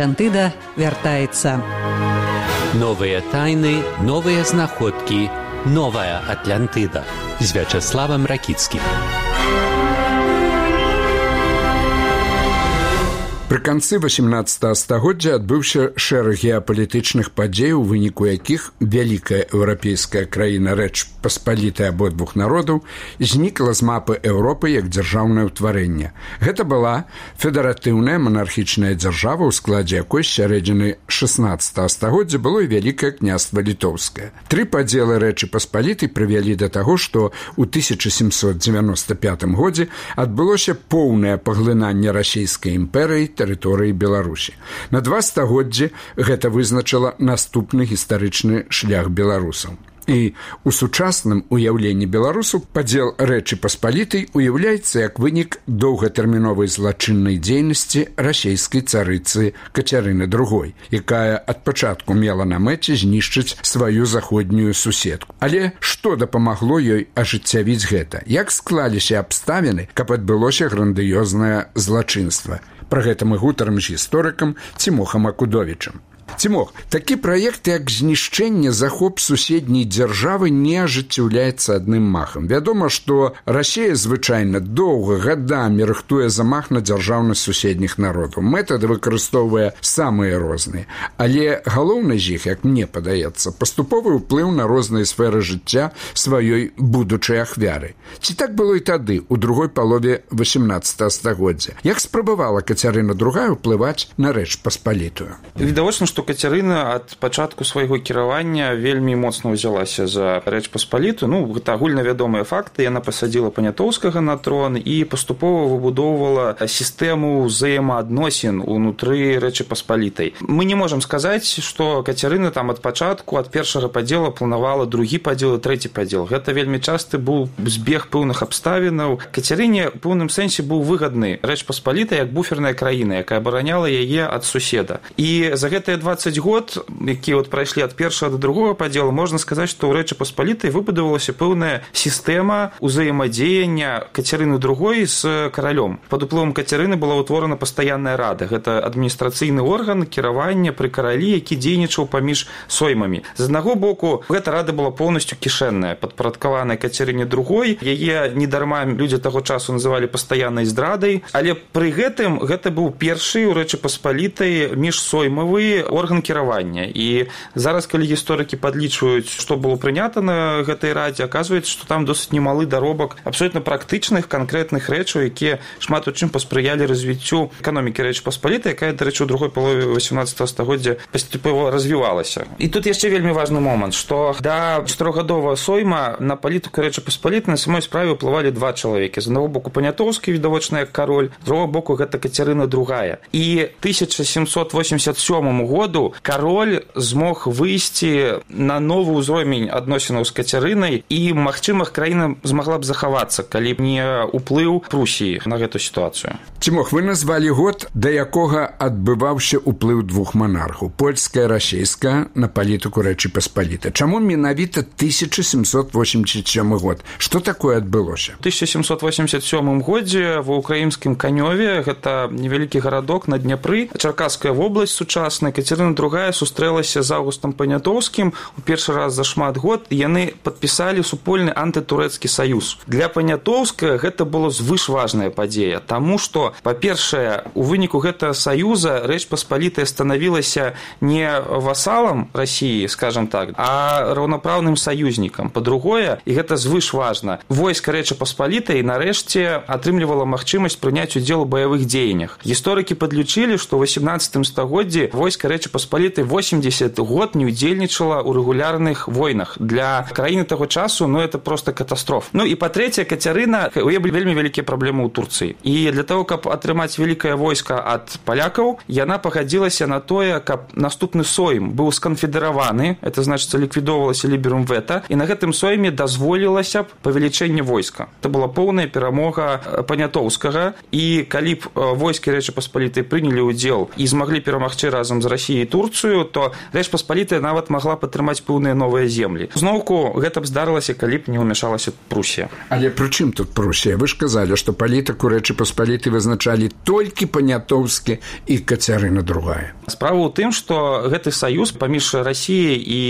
Атлантыда вяртаецца. Новыя тайны, новыя знаходкі, новая Атлантыда з Вячеславам Ракіцкім. Пры канцы 18 стагоддзя адбыўся шэраг геапалітычных падзей, у выніку якіх вялікая еўрапейская краіна Рэч Паспалітая абодвух народаў знікла з мапы Еўропы як дзяржаўнае ўтварэнне. Гэта была федэратыўная манархічная дзяржава, у складзе якой з сярэдзіны 16 стагоддзя было і Вялікае княства Літоўскае. Тры падзелы Рэчы Паспалітай прывялі да таго, што ў 1795 годзе адбылося поўнае паглынанне расійскай імперыі тэрыторыі Беларусі. На 2 стагоддзі гэта вызначыла наступны гістарычны шлях беларусаў. І ў сучасным уяўленні беларусаў падзел Рэчы Паспалітай уяўляецца як вынік доўгатэрміновай злачыннай дзейнасці расійскай царыцы Кацярыны II, якая ад пачатку мела на мэце знішчыць сваю заходнюю суседку. Але што дапамагло ёй ажыццявіць гэта? Як склаліся абставіны, каб адбылося грандыёзнае злачынства? Пра гэта мы гутарым з гісторыкам Цімохам Акудовічам. Цімох, такі праект, як знішчэнне, захоп суседняй дзяржавы не ажыццяўляецца адным махам. Вядома, што Расія звычайна доўга, гадамі рыхтуе замах на дзяржаўнасць суседніх народаў. Метады выкарыстоўвае самыя розныя. Але галоўны з іх, як мне падаецца, паступовы ўплыў на розныя сферы жыцця сваёй будучай ахвяры. Ці так было і тады, у другой палове 18 стагоддзя? Як спрабавала Кацярына II ўплываць на Рэч Паспалітую? Відавочна, што Кацярына ад пачатку свайго кіравання вельмі моцна ўзялася за Рэч Паспалітую. Гэта агульнавядомыя факты. Яна пасадзіла Панятоўскага на трон і паступова выбудоўвала сістэму ўзаемаадносін унутры Рэчы Паспалітай. Мы не можам сказаць, што Кацярына там ад пачатку, ад першага падзела планавала другі падзел і трэці падзел. Гэта вельмі часты быў збег пэўных абставінаў. Кацярыне ў пэўным сэнсе быў выгадны Рэч Паспалітай як буферная краіна, якая абараняла яе ад суседа. І за гэтыя 20 год, якія прайшлі ад першага да другога падзела, можна сказаць, што ў Рэчы Паспалітай выбудавалася пэўная сістэма ўзаемадзеяння Кацярыны II з каралём. Пад уплывам Кацярыны была ўтворана пастаянная рада. Гэта адміністрацыйны орган кіравання пры каралі, які дзейнічаў паміж соймамі. З аднаго боку, гэта рада была поўнасцю кішэнная, падпарадкаваная Кацярыне II. Яе недарма людзі таго часу называлі пастаяннай здрадай, але пры гэтым гэта быў першы ў Рэчы Паспалітай міжсоймавы орган кіравання. І зараз, калі гісторыкі падлічваюць, што было прынята на гэтай радзе, аказваецца, што там досыць немалы даробак абсолютна практычных, канкрэтных рэчаў, якія шмат у чым паспрыялі развіццю эканомікі Рэчы Паспалітай, якая, дарэчы, у другой палове 18 стагоддзя паступова развівалася. І тут яшчэ вельмі важны момант, што да 4гадовага сойма на палітыку Рэчы Паспалітай на самой справе ўплывалі два чалавекі. З аднаго боку Панятоўскі, відавочна як кароль, з другога боку гэта Кацярына II. І 1787 году кароль змог выйсці на новы ўзровень адносінаў з Кацярынай, і, магчыма, краіна змагла б захавацца, калі б не ўплыў Прусіі на гэту сітуацыю. Цімох, вы назвалі год, да якога адбываўся ўплыў двух манархаў, польская і расійская, на палітыку Рэчы Паспалітай. Чаму менавіта 1787 год? Што такое адбылося? У 1787 годзе ва ўкраінскім Канёве, гэта невялікі гарадок на Дняпры, Чаркасская вобласць сучасная, Кацярына II сустрэлася з Аўгустам Панятоўскім у першы раз за шмат год, і яны падпісалі супольны антытурэцкі саюз. Для Панятоўскага гэта было звышважная падзея, таму што, па-першае, у выніку гэтага саюза Рэч Паспалітая станавілася не васалам Расіі, скажам так, а раўнапраўным саюзнікам. Па-другое, і гэта звышважна, войска Рэчы Паспалітай нарэшце атрымлівала магчымасць прыняць удзел у баявых дзеяннях. Гісторыкі падлічылі, што ў 18 стагоддзі войска Рэчы Паспалітай 80 год не удзельнічала ў рэгулярных войнах. Для краіны таго часу, это просто катастрофа. І па-трэцяе, Кацярына, у яе былі вельмі вялікія праблемы ў Турцыі. І для того, каб атрымаць вялікае войска ад палякаў, яна пагадзілася на тое, каб наступны сойм быў сканфедэраваны, это значыць, ліквідоўвалася ліберум вета, і на гэтым сойме дазволілася б павелічэнне войска. Это была поўная перамога Панятоўскага, і калі б войскі Рэчы Паспалітай прынялі ўдзел і змаглі перамагчы разам з Расіяй і Турцыю, то Рэч Паспалітая нават магла падтрымаць пэўныя новыя землі. Зноўку гэта б здарылася, калі б не ўмяшалася Прусія. Але пры чым тут Прусія? Вы ж казалі, што палітыку Рэчы Паспалітай вызначалі толькі Панятоўскі і Кацярына II. Справа ў тым, што гэты саюз паміж Расіяй і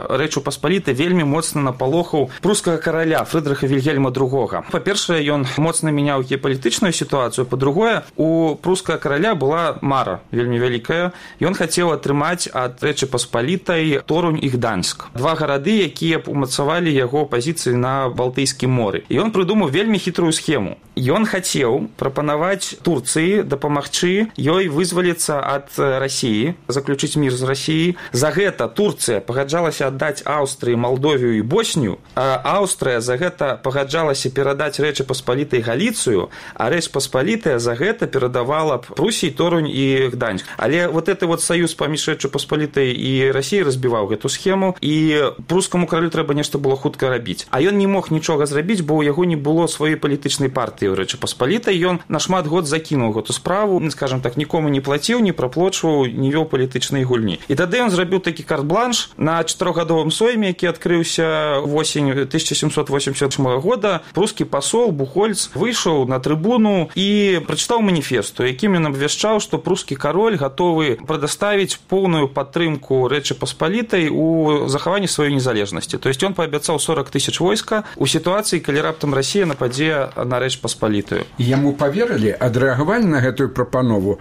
Рэчу Паспалітай вельмі моцна напалохаў прускага караля Фрыдрыха Вільгельма II. Па-першае, ён моцна мяняў геапалітычную сітуацыю, па-другое, у прускага караля была мара вельмі вялікая. Ён хацеў атрымаць ад Рэчы Паспалітай Торунь і Гданьск. Два гарады, якія б умацавалі яго пазіцыі на Балтыйскім моры. І ён прыдумаў вельмі хітрую схему. Ён хацеў прапанаваць Турцыі дапамагчы ёй вызваліцца ад Расіі, заключыць мір з Расіяй. За гэта Турцыя пагаджалася аддаць Аўстрыі, Малдовію і Боснію, а Аўстрыя за гэта пагаджалася перадаць Рэчы Паспалітай Галіцыю, а Рэч Паспалітая за гэта перадавала б Прусіі Торунь і Гданьск. Але вот гэты вот саюз паміж Рэчы Паспалітай і Расіяй разбіваў гэту схему, і прускаму каралю трэба нешта было хутка рабіць. А ён не мог нічога зрабіць, бо ў яго не было сваёй палітычнай партыі ў Рэчы Паспалітай. Ён на шмат год закінуў гэту справу, скажам так, нікому не плаціў, не праплочваў, не вёў палітычнай гульні. І тады ён зрабіў такі карт-бланш на 4-гадовым сойме, які адкрыўся восень 1788 года. Прускі пасол Бухольц выйшаў на трыбуну і прачытаў маніфест, у якім ён абвяшчаў, што прускі кароль гатовы прадаставіць поўную падтрымку Рэчы Паспалітай у захаванні сваёй незалежнасці. То есть ён паабяцаў 40 000 войска у сітуацыі, калі раптам Расія нападзе на Рэч Паспалітую. Яму паверылі, адрэагавалі на гэтую прапанову.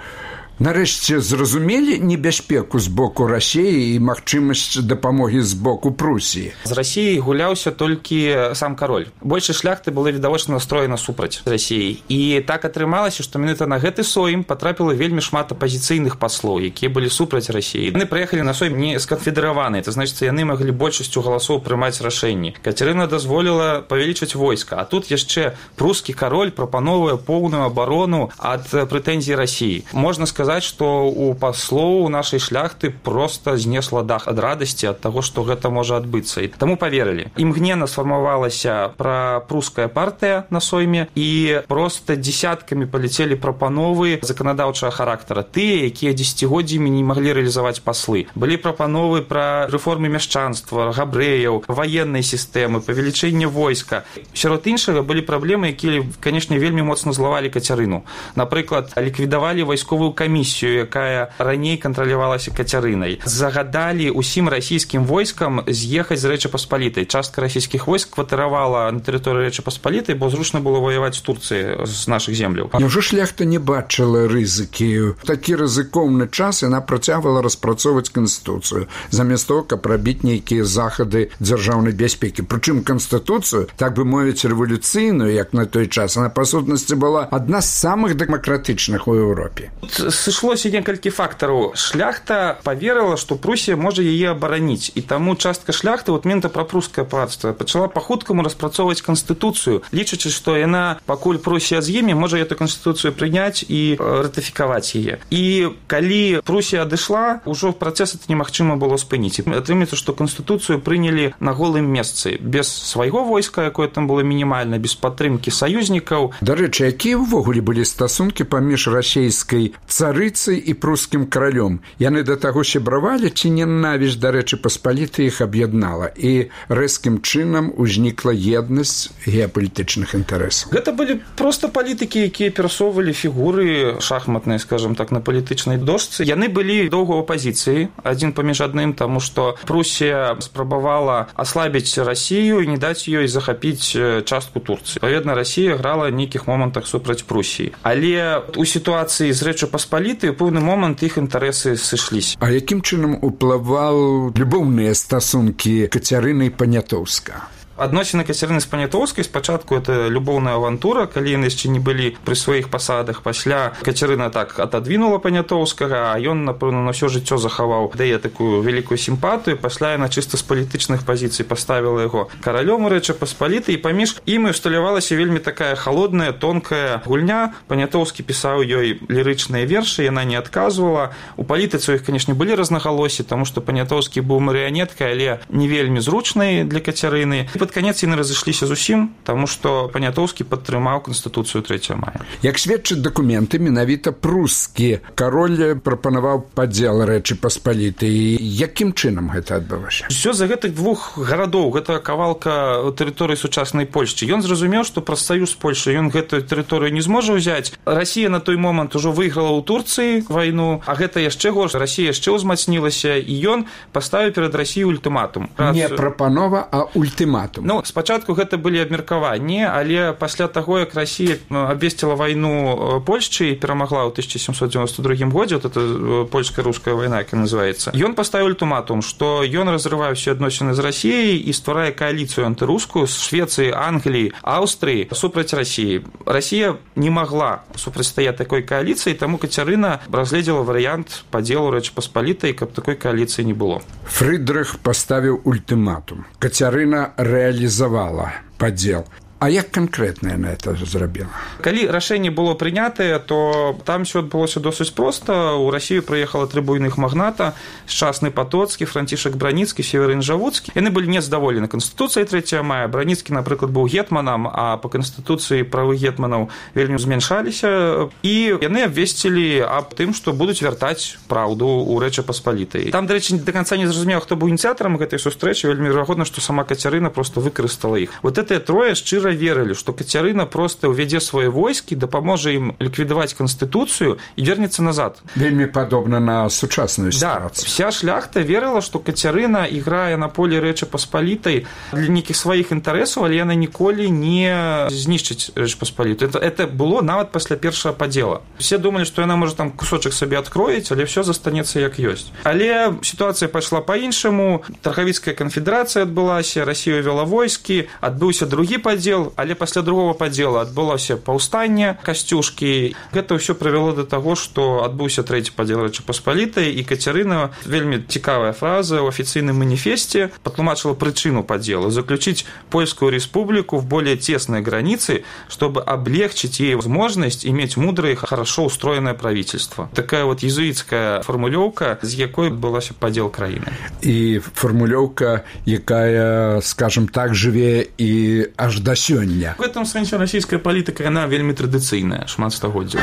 Нарэшце зразумелі небяспеку з боку Расіі і магчымасць дапамогі з боку Прусіі. З Расіяй гуляўся толькі сам кароль. Большасць шляхты была відавочна настроена супраць Расіі. І так атрымалася, што менавіта на гэты сойм патрапіла вельмі шмат апазіцыйных паслоў, якія былі супраць Расіі. Яны прыехалі на сойм не сканфедэраваныя, это значыць, яны маглі большасцю галасоў прымаць рашэнні. Кацярына дазволіла павялічыць войска, а тут яшчэ прускі кароль прапановвае поўную абарону ад прэтэнзій Расіі. Можна сказаць, што у паслоў нашай шляхты проста знесла дах ад радасці ад таго, што гэта можа адбыцца. І таму паверылі. Імгненна сфармавалася прапруская партыя на сойме, і проста дзесяткамі паляцелі прапановы заканадаўчага характара. Тыя, якія дзесяцігоддзямі не маглі рэалізаваць паслы. Былі прапановы пра рэформы мяшчанства, габрэяў, ваеннай сістэмы, павелічэнне войска. Сярод іншага былі праблемы, якія, канешне, вельмі моцна злавалі Кацярыну. Напрыклад, ліквідавалі вайсковую камісію, якая раней кантралявалася Кацярынай. Загадалі ўсім расійскім войскам з'ехаць з Рэчы Паспалітай. Частка расійскіх войск кватаравала на тэрыторыі Рэчы Паспалітай, бо зручна было ваяваць з Турцыі з нашых земляў. Няўжо шляхта не бачыла рызыкі? Такі рызыкоўны час яна працягвала распрацоўваць канстытуцыю, замест того, каб рабіць нейкія захады дзяржаўнай бяспекі. Прычым канстытуцыю, так бы мовіць, рэвалюцыйную, як на той час, она па сутнасці была адна з самых дэмакратычных у Еўропе. Сышлося некалькі фактараў. Шляхта паверыла, што Прусія можа яе абараніць, і таму частка шляхты, вот менавіта прапрускае панства, пачала па-хуткаму распрацоўваць канстытуцыю, лічачы, што яна, пакуль Прусія з'еме, можа эту канстытуцыю прыняць і ратыфікаваць яе. І калі Прусія адышла, ужо працэс это немагчыма было спыніць. Атрымаецца, што канстытуцыю прынялі на голым месцы, без свайго войска, якое там было мінімальна, без падтрымкі саюзнікаў. Дарэчы, якія ўвогуле былі стасункі паміж расійскай царыцай і прускім каралём? Яны да таго сябравалі, ці ненавісць да Рэчы Паспалітай іх аб'яднала, і рэзкім чынам узнікла еднасць геапалітычных інтарэсаў? Гэта былі проста палітыкі, якія перасоўвалі фігуры шахматныя, скажам так, на палітычнай дошцы. Яны былі доўга ў апазіцыі, адзін паміж адным, таму што Прусія спрабавала аслабіць Расію і не даць ёй захапіць частку Турцыі. Адпаведна, Расія грала ў нейкіх момантах супраць Прусіі. Але у сітуацыі з Рэчы Паспалітай у пэўны момант іх інтарэсы сышліся. А якім чынам уплываў любоўныя стасункі Кацярыны і Панятоўска? Адносіны Кацярыны з Панятоўскай спачатку это любоўная авантура, калі яны яшчэ не былі пры сваіх пасадах. Пасля Кацярына так атадвінула Панятоўскага, а ён, напэўна, на ўсё жыццё захаваў дае такую вялікую сімпатыю. Пасля яна чыста з палітычных пазіцый паставіла яго каралём у Рэчы Паспалітай, і паміж імі усталявалася вельмі такая халодная, тонкая гульня. Панятоўскі пісаў ёй лірычныя вершы, яна не адказвала. У палітыцы у іх, канешне, былі рознагалоссі, таму што Панятоўскі быў марыянеткай, але не вельмі зручнай для Кацярыны. пад канец яны разышліся зусім, таму што Панятоўскі падтрымаў канстытуцыю 3 мая. Як сведчаць дакументы, менавіта прускі кароль прапанаваў падзел Рэчы Паспалітай. Якім чынам гэта адбылося? Усё за гэтых двух гарадоў, гэта кавалка тэрыторыі сучаснай Польшчы. Ён зразумеў, што праз саюз Польшы ён гэтую тэрыторыю не зможа ўзяць. Расія на той момант ужо выйграла ў Турцыі вайну, а гэта яшчэ горш. Расія яшчэ ўзмацнілася, і ён паставіў перад Расіяй ультыматум. Не прапанова, а ультыматум. Ну, спачатку гэта былі абмеркаванні, але пасля таго, як Расія абвесціла вайну Польшчы і перамагла ў 1792 годзе, вот это польска-руская вайна, як называецца, ён паставіў ультыматум, што ён разрывае ўсе адносіны з Расіяй і стварае кааліцыю антырускую з Швецыі, Англіі, Аўстрыі супраць Расіі. Расія не магла супрацьстаяць такой кааліцыі, таму Кацярына разгледзела варыянт падзелу Рэчы Паспалітай, каб такой кааліцыі не было. Фрыдрых паставіў ультыматум. Кацярына рэалізавала падзел. А як канкрэтна яна это зрабіла? Калі рашэнне было прынятае, то там ўсё адбылося досыць проста. У Расію прыехала 3 буйных магната: Шчасны Патоцкі, Францішак Браніцкі, Северын Жавуцкі. Яны былі незадаволены канстытуцыяй 3 мая. Браніцкі, напрыклад, быў гетманам, а па канстытуцыі правы гетманаў вельмі змяншаліся, і яны абвесцілі аб тым, што будуць вяртаць праўду ў Рэчы Паспалітай. Там, дарэчы, да канца не зразумела, хто быў ініцыятарам гэтай сустрэчы. Вельмі верагодна, што сама Кацярына проста выкарыстала іх. Вот гэтыя трое шчыра верылі, што Кацярына проста ўвядзе свае войскі, дапаможа ім ліквідаваць канстытуцыю і вернецца назад. Вельмі падобна на сучасную сітуацыю. Да, вся шляхта верыла, што Кацярына іграе на полі Рэчы Паспалітай для нейкіх сваіх інтарэсаў, але яна ніколі не знішчыць Рэчы Паспаліту. Это было нават пасля першага падзела. Все думалі, што яна можа там кусочак сабе адкроіць, але ўсё застанецца як ёсць. Але сітуацыя пайшла па-іншаму. Таргавіцкая канфедэрацыя адбылася, Расія вела войскі, адбыўся другі падзел, але пасля другого падзела адбылося паўстанне Касцюшкі. Гэта ўсё прывяло да таго, што адбыўся 3 падзел Рэчы Паспалітай, і Кацярына, вельмі цікавая фраза, ў афіцыйным маніфесце патлумачыла прычыну падзела: заключить Польскую республику в более тесные границы, чтобы облегчить ей возможность иметь мудрое и хорошо устроенное правительство. Такая вот езуіцкая формулёўка, з якой адбылося падзел краіны. І формулёўка, якая, скажем так, жыве і аж да сёння. В этом сэнсе расійская палітыка, яна вельмі традыцыйная, шмат стагоддзяў.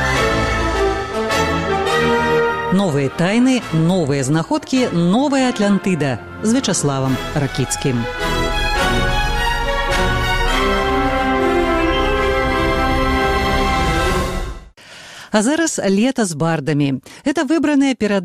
Новыя тайны, новыя знаходкі, новая Атлантыда з Вячаславам Ракіцкім. А зараз лета з бардамі. Это выбраныя перадачы